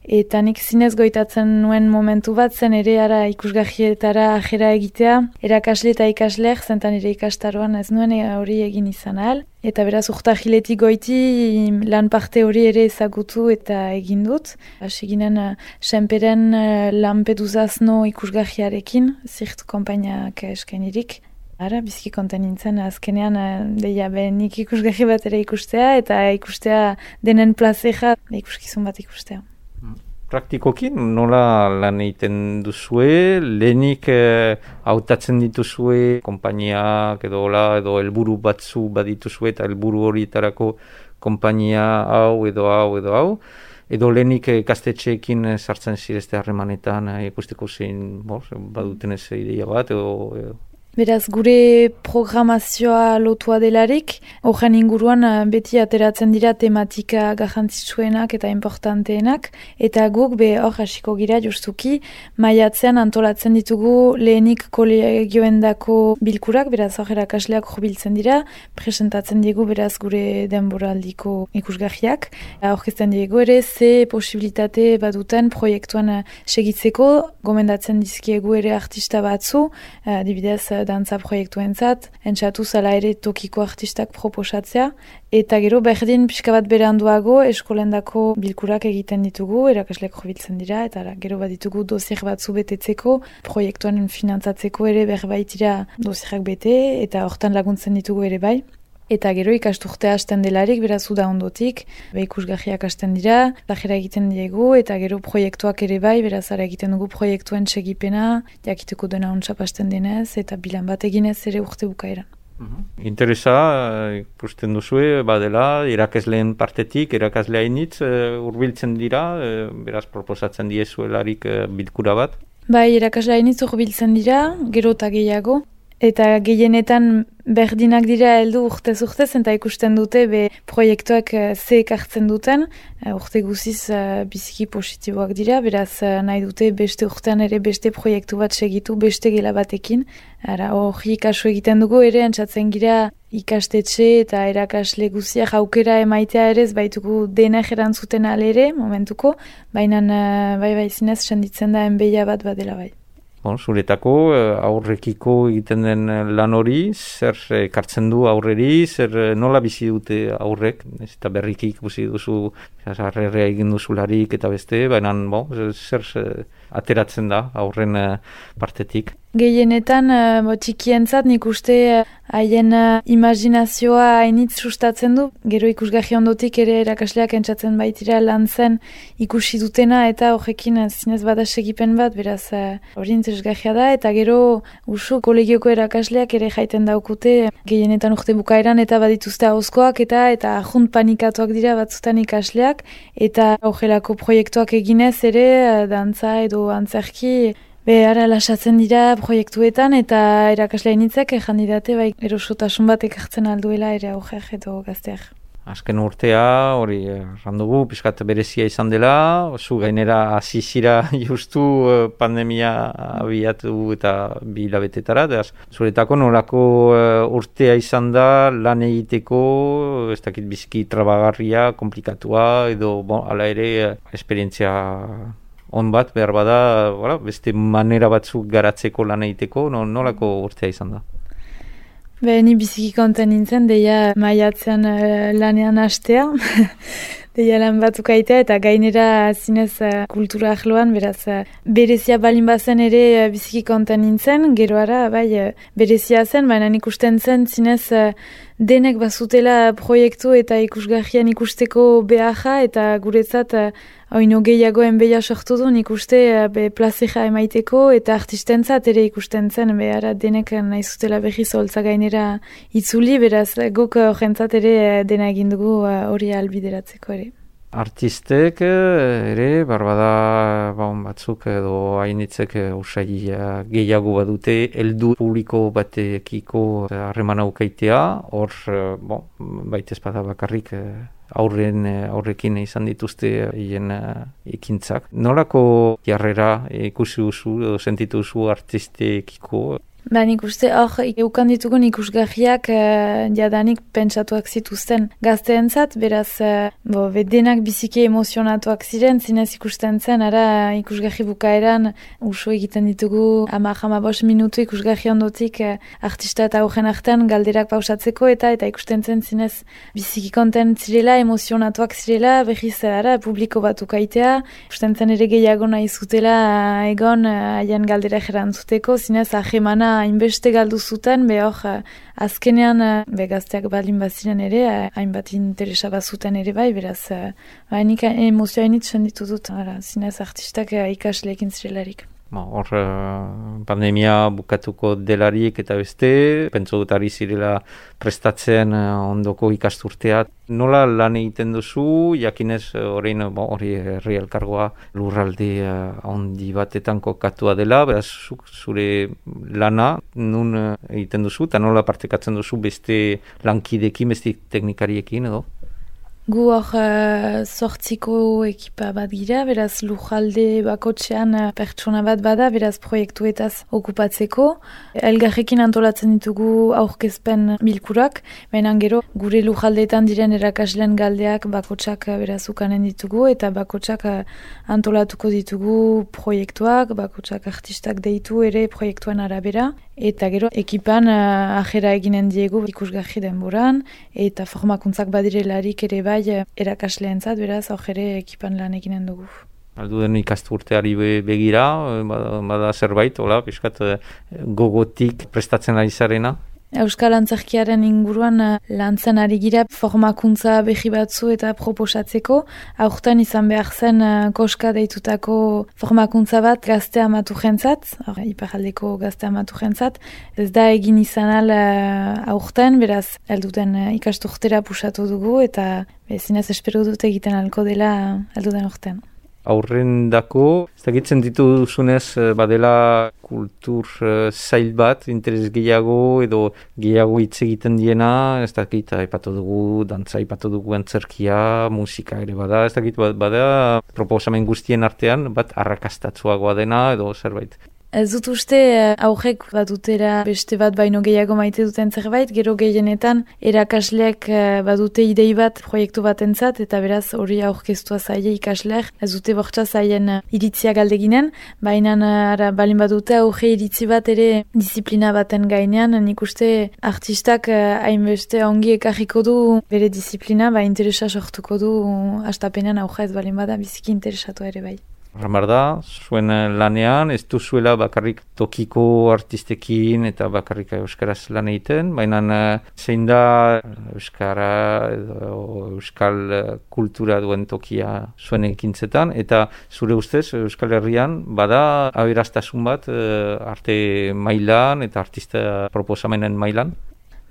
eta nik zinez goitatzen nuen momentu bat zen ere ara ikusgarrietara ajera egitea, erakasle eta ikasleak zentan ere ikastaroan ez nuen hori egin izan ahal, eta beraz urtahiletik goiti lan parte hori ere ezagutu eta egin dut. Hasi ginen Senperen Lampedusazno ikusgarriarekin, zirt konpainiak eskainirik. Bizki konten nintzen, azkenean nik ikusgarri bat ere ikustea, eta ikustea denen plazeja ikuskizun bat ikustea. Praktikoki nola lan egiten duzue, lehenik hautatzen dituzue, konpainiak edo helburu batzu badituzue, eta helburu horietarako konpainia hau edo hau, edo lehenik ikastetxeekin sartzen zirezte harremanetan, ikusteko zein baduten ez ideia bat, edo... Beraz, gure programazioa lotua delarik, horren inguruan beti ateratzen dira tematika garrantzitsuenak eta importanteenak, eta guk hor hasiko gira justuki, maiatzean antolatzen ditugu lehenik kolegioendako bilkurak, beraz hor erakasleak jubiltzen dira, presentatzen diegu beraz gure denboraldiko ikusgarriak, aurkezten diegu ere ze posibilitate baduten proiektuan segitzeko, gomendatzen dizkiegu ere artista batzu, adibidez dantza proiektuentzat, entzatu zala ere tokiko artistak proposatzea, eta gero berdin pixka bat beranduago eskolendako bilkurak egiten ditugu, erakasleak jubiltzen dira, eta gero bat ditugu dosier batzu betetzeko, proiektuan finantzatzeko ere berbaitira dosierak bete, eta hortan laguntzen ditugu ere bai. Eta gero ikasturtea hasten delarik, beraz uda ondotik, ikusgarriak hasten dira, lajera egiten diegu, eta gero proiektuak ere bai, beraz ara egiten dugu proiektuen segipena, jakiteko dena ontsap hasten denez, eta bilan bat eginez ere urte bukaeran. Interesa, ikusten duzue, badela, irakasleen partetik, irakaslea initz, hurbiltzen dira, beraz proposatzen diezuelarik bilkura bat? Bai, irakaslea initz hurbiltzen dira, gero eta gehiago, eta gehienetan berdinak dira heldu urtez, eta ikusten dute proiektuak ze ekartzen duten, urte guziz biziki positiboak dira, beraz nahi dute beste urtean ere beste proiektu bat segitu, beste gela batekin. Hori kasu egiten dugu ere, entzatzen gira ikastetxe eta erakasle guziak aukera emaitea ere, ez baitugu dena erantzuten alere, momentuko, baina bai zinez senditzen da enbeia bat badela bai. Zuretako aurrekiko egiten den lan hori, zer ekartzen du aurreri, zer nola bizi dute aurrek, eta berriki ikusi duzu, harrerrea egin duzularik eta beste, baina zer ateratzen da aurren partetik. Gehienetan, txikientzat nik uste haien imaginazioa hainitz sustatzen du. Gero ikusgarri ondotik ere erakasleak entzatzen baitira lan zen ikusi dutena eta horrekin zinez bada segipen bat, beraz hori interesgarria da. Eta gero usu kolegioko erakasleak ere jaiten daukute gehienetan urte bukaeran eta badituzte ahozkoak eta ajunt panikatuak dira batzutan ikasleak. Eta horrelako proiektuak eginez ere dantza edo antzerki ara lasatzen dira proiektuetan eta erakaslea initzek jandidate erosotasun bat ekartzen alduela ere aurreak edo gazteak. Azken urtea hori randugu, pixkat berezia izan dela, zu gainera azizira justu pandemia abiatu eta 2 hilabetetara, zuretako nolako urtea izan da lan egiteko, ez dakit biziki trabagarria, komplikatua edo hala ere esperientzia on bat behar bada, beste manera batzuk garatzeko lan egiteko, nolako urtea izan da? Ni biziki konten nintzen, deia maiatzean lanean hastea, deia lan batzuk aitea, eta gainera zinez kultura ahloan, beraz, berezia balin bazen ere biziki konten nintzen, geroara, berezia zen, baina ikusten zen zinez denek bazutela proiektu eta ikusgarrian ikusteko beharra, eta guretzat oino gehiagoen beha sortu du ikuste plazera emaiteko eta artistentzat ere ikusten zen behar denek nahi zutela behi zoltza gainera itzuli, beraz guk jentzat ere dena egin dugu hori albideratzeko ere. Artistek ere, barbada batzuk edo hainitzek usai gehiago badute, heldu publiko batekiko harreman aukaitea, hor baita espada bakarrik aurrekin izan dituzte hien ekintzak. Nolako jarrera ikusi duzu edo sentitu duzu artistekiko? Nik uste hor eukan ditugun ikusgarriak jadanik pentsatuak zituzten gazteentzat, beraz denak biziki emozionatuak ziren, zinez ikusten zen, ara ikusgarri bukaeran usu egiten ditugu 10-15 minutu ikusgarri ondotik artista eta horren artean galderak pausatzeko eta ikusten zen zinez biziki konten zirela, emozionatuak zirela, behiz ara publiko bat ukaitea, ikusten zen ere gehiago nahi zutela egon haien galdera erantzuteko, zinez ahemana hainbeste galdu zuten, azkenean gazteak balin baziren ere, hainbat interesa bazuten ere beraz, nik emozioa hainit senditu dut, zinez artistak ikasleekin zirelarik. Hor pandemia bukatuko delarik eta beste, pentsu dut ari zirela prestatzen ondoko ikasturtea. Nola lan egiten duzu, jakinez hori herri elkargoa lurralde handi batetan kokatua dela, beraz zure lana nun egiten duzu, eta nola partekatzen duzu beste lankidekin, beste teknikariekin edo? Gu hor 8 ekipa bat gira, beraz lujalde bakotxean pertsona bat bada, beraz proiektuetaz okupatzeko. Elgarrekin antolatzen ditugu aurkezpen bilkurak, baina gero gure lujaldeetan diren erakasleen galdeak bakotxak beraz ukanen ditugu, eta bakotxak antolatuko ditugu proiektuak, bakotxak artistak deitu ere proiektuen arabera. Eta gero ekipan ajera eginen diegu ikusgarri denboran, eta formakuntzak badirelarik ere erakasleentzat, beraz, aurre ekipan lan eginen dugu. Alduden ikasturteari begira, bada zerbait, piskat gogotik prestatzen ari zarena? Euskal Antzerkiaren inguruan lantzen ari gira formakuntza behi batzu eta proposatzeko. Aurten izan behar zen koska deitutako formakuntza bat gazte amatu jentzat, iparaldeko gazte amatu jentzat. Ez da egin izan aurten, beraz, alduten ikasturtera pusatu dugu eta zinez espero dut egiten alko dela alduden aurten. Aurrendako, ez dakitzen dituzunez badela kultur zail bat, interes gehiago edo gehiago hitz egiten diena, ez dakit aipatu dugu, dantza aipatu dugu antzerkia, musika ere bada, ez dakit bada proposamen guztien artean bat arrakastatzuagoa dena edo zerbait. Ez dut uste aurrek badutera beste bat baino gehiago maite duten zerbait, gero gehienetan erakasleak badute idei bat proiektu batentzat eta beraz hori aurkeztua zaie ikasleak, ez dute bortza zaien iritzia galdeginen, baina balin badute aurre iritzi bat ere disiplina baten gainean, nik uste artistak hainbeste ongi ekarriko du bere disiplina, interesa sortuko du hastapenean aurre ez balin bada biziki interesatu ere bai. Ramar da, zuen lanean, ez duzuela bakarrik tokiko artistekin eta bakarrik euskaraz lan egiten, baina zein da euskara edo euskal kultura duen tokia zuen ekintzetan, eta zure ustez Euskal Herrian bada aberastasun bat arte mailan eta artista proposamenen mailan?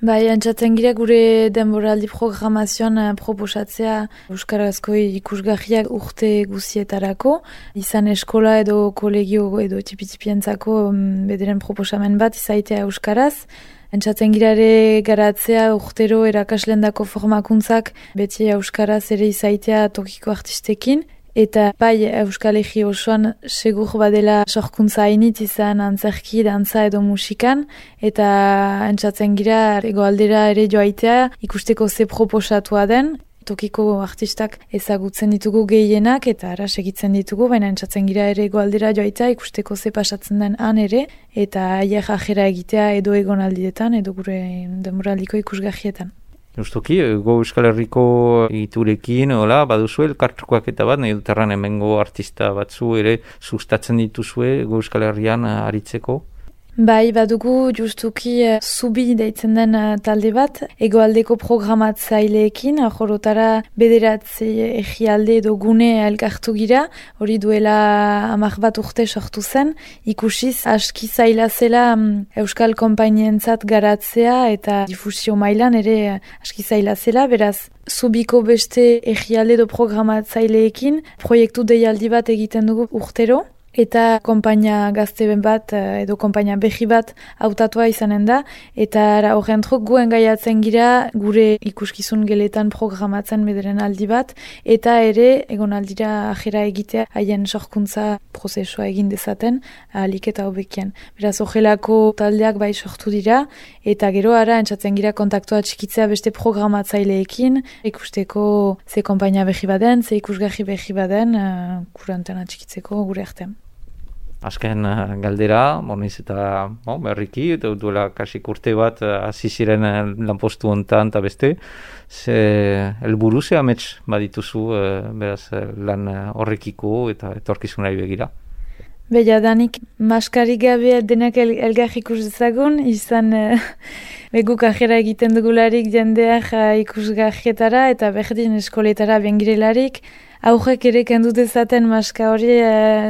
Antzatzen gira gure denboraldi programazioan proposatzea euskarazko ikusgarriak urte guzietarako, izan eskola edo kolegio edo tipi-tipientzako bederen proposamen bat izaitea euskaraz. Entzatzen gira ere garatzea urtero erakaslendako formakuntzak beti euskaraz ere izaitea tokiko artistekin. Eta Euskal Herri osoan segur badela sorkuntza hainit izan antzerki, dantza edo musikan, eta entzatzen gira egoaldera ere joaitea ikusteko ze proposatua den, tokiko artistak ezagutzen ditugu gehienak eta ara segitzen ditugu, baina entzatzen gira ere goaldera joaitea ikusteko ze pasatzen den han ere, eta haiek ajera egitea edo egonaldietan edo gure denboraldiko ikusgahietan. Justuki, Go Euskal Herriko egiturekin, baduzu elkartrukoak eta bat, nahi duterran hemengo artista batzu ere sustatzen dituzue Go Euskal Herrian aritzeko? Bai, badugu justuki zubi deitzen den talde bat, egoaldeko programatzaileekin, jorotara bederatzi egialde edo gune elkartu gira, hori duela 10 bat urte sortu zen, ikusiz aski zaila zela Euskal konpainientzat garatzea eta difusio mailan ere aski zaila zela, beraz, zubiko beste egialde edo programatzaileekin, proiektu deialdi bat egiten dugu urtero, eta konpainia gazte bat edo konpainia behi bat hautatua izanen da, eta horren truk guen gaiatzen gira gure ikuskizun geletan programatzen bederen aldi bat, eta ere egon aldira ajera egitea haien sorkuntza prozesua egin dezaten ahalik eta hobekien. Beraz, ojelako taldeak bai sortu dira, eta gero ara entzatzen gira kontaktua txikitzea beste programatzaileekin, ikusteko ze konpainia behi baden, ze ikusgahi behi baden, kurantena txikitzeko gure artean. Azken galdera, boniz eta berriki, duela kasik urte bat hasi ziren lanpostu hontan eta beste, ze helburu ze amets badituzu beraz lan horrekiko eta etorkizunari begira? Jadanik maskarik gabe denak elgar ikus dezagun, izan beguk ajera egiten dugularik jendeak ikusgahietara eta berdin eskoletara bengirelarik, aurrek ere kendu dezaten maska hori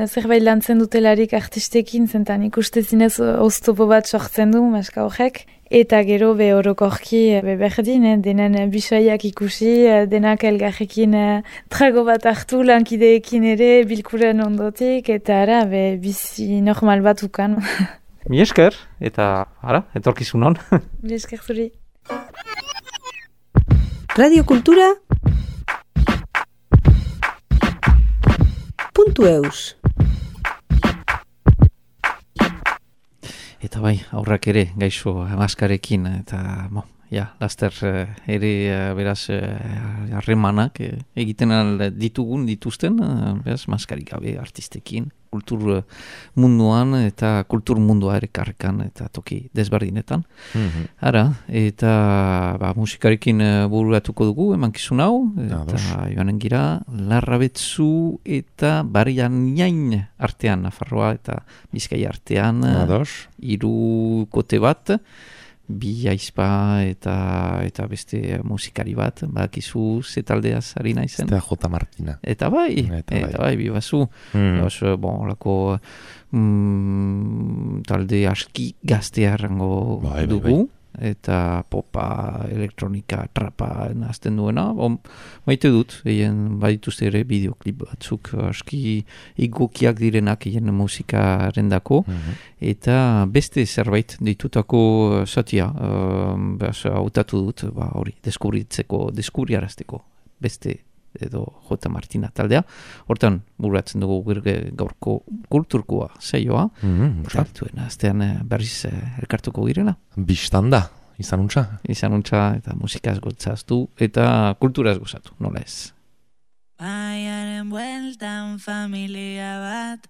zerbait lantzen dutelarik artistekin, zentan ikustezinez oztopo bat sortzen du maska horrek. Eta gero orokorki berdin, denen bisoiak ikusi, denak elgarrekin trago bat hartu lankideekin ere bilkuren ondotik, eta ara bizi normal bat ukan. Mi esker, eta etorkizunon. Mi esker zuri. Radio Kultura .eus Eta bai, aurrak ere gaixo maskarekin, eta laster ere beraz harremanak egiten dituzten, beraz maskarik gabe artistekin, kultur munduan eta kultur mundua ere karrekan eta toki desberdinetan. Ara, eta musikarekin bururatuko dugu emankizun hau, eta joanen gira Larrabetzu eta Barianain artean, Nafarroa eta Bizkaia artean, 3 kote bat, 2 aizpa eta beste musikari bat, badakizu ze taldeaz ari naizen. Eta J. Martina. Eta bai, bibazu. Olako talde aski gaztea errango dugu. Eta popa, elektronika, trapa nazten duena. Maite dut, badituzte ere bideoklip batzuk aski egokiak direnak musikaren dako. Eta beste zerbait ditutako zatia, hautatu dut, hori, deskubriarazteko beste edo J. Martina taldea. Hortan, bururatzen dugu gaurko kulturkoa saioa. Proiektuen aztean berriz elkartuko girela. Bistanda, izanuntza. Izanuntza eta musikaz gotzaztu eta kulturaz gozatu, nola ez. Baiaren bueltan familia bat,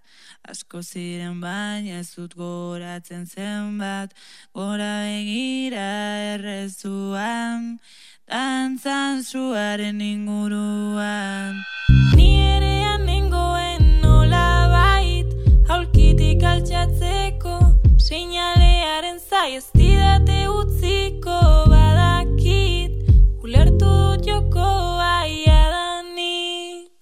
asko ziren baina ez dut goratzen zenbat, gora begira errezuan, dantzan zuaren inguruan. Ni erean nengoen nola bait, haulkitik altxatzeko, seinalearen zai ez didate utziko, badakit, ulertu dut jokoa iadanik.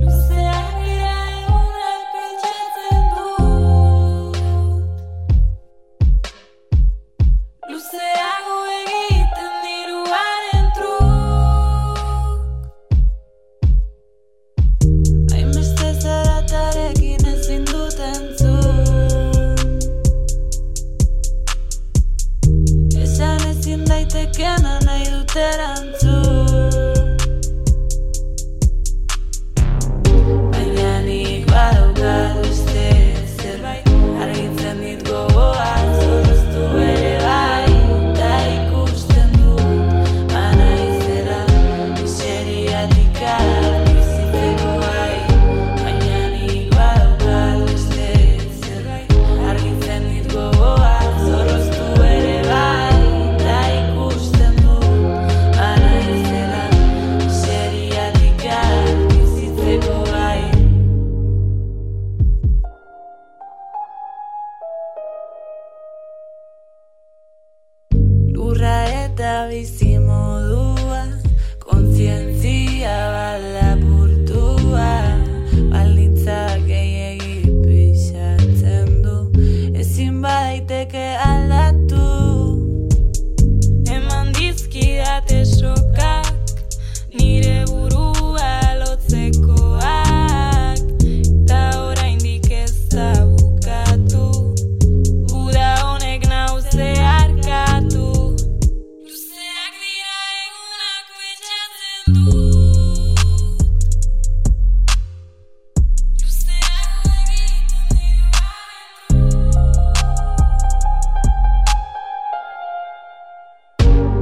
Luzeak dira egunak pentsatzen dut, luzeago egiten diruaren truk. Hainbeste zaratarekin ezin dut entzun, esan ezin daitekena nahi dut erantzun. Baina nik badaukat beste zerbait, argitzen dit gogoan, zorroztu ere bai, eta ikusten dut, banaizela, bizimodua, kontzientzia balapurtua, baldintzak gehiegi pixatzen du, ezin badaiteke aldatu. Eman dizkidate sokak, nire burua lotzekoak, ta oraindik ez da bukatu, uda honek nau zeharkatu. Luzeak dira egunak betxatzen dut, luzeak egiten dira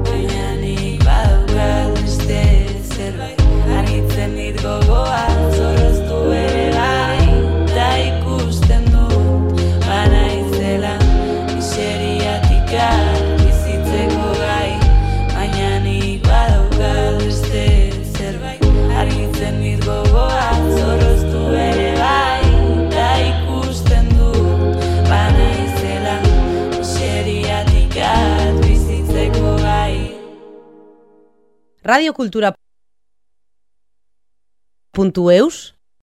baina nik badaukat beste zerbait, argitzen dit gogoa, zorroztu ere bai, da ikusten dut, banaizela, miseriatik bizitzeko gai, baina nik badaukat beste zerbait, argitzen dit gogoa, zorroztu ere bai, da ikusten dut, banaizela, miseriatik bizitzeko gai. Radiokultura.eus